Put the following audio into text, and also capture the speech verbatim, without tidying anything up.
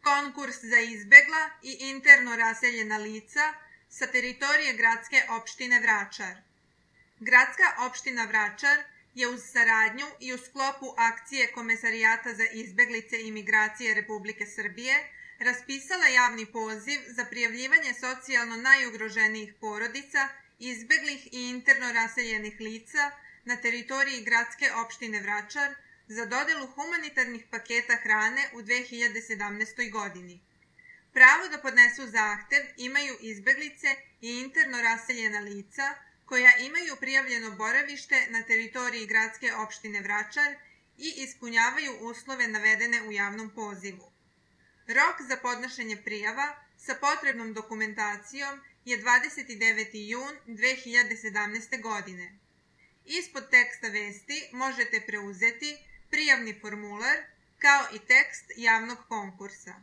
konkurs za izbegla i interno raseljena lica sa teritorije gradske opštine Vračar. Gradska opština Vračar je uz saradnju i u sklopu akcije Komesarijata za izbeglice i migracije Republike Srbije raspisala javni poziv za prijavljivanje socijalno najugroženijih porodica, izbeglih i interno raseljenih lica na teritoriji gradske opštine Vračar za dodelu humanitarnih paketa hrane u dve hiljade sedamnaestoj. godini. Pravo da podnesu zahtev imaju izbeglice i interno raseljena lica koja imaju prijavljeno boravište na teritoriji gradske opštine Vračar i ispunjavaju uslove navedene u javnom pozivu. Rok za podnošenje prijava sa potrebnom dokumentacijom je dvadeset deveti jun dve hiljade sedamnaeste. godine. Ispod teksta vesti možete preuzeti prijavni formular kao i tekst javnog konkursa.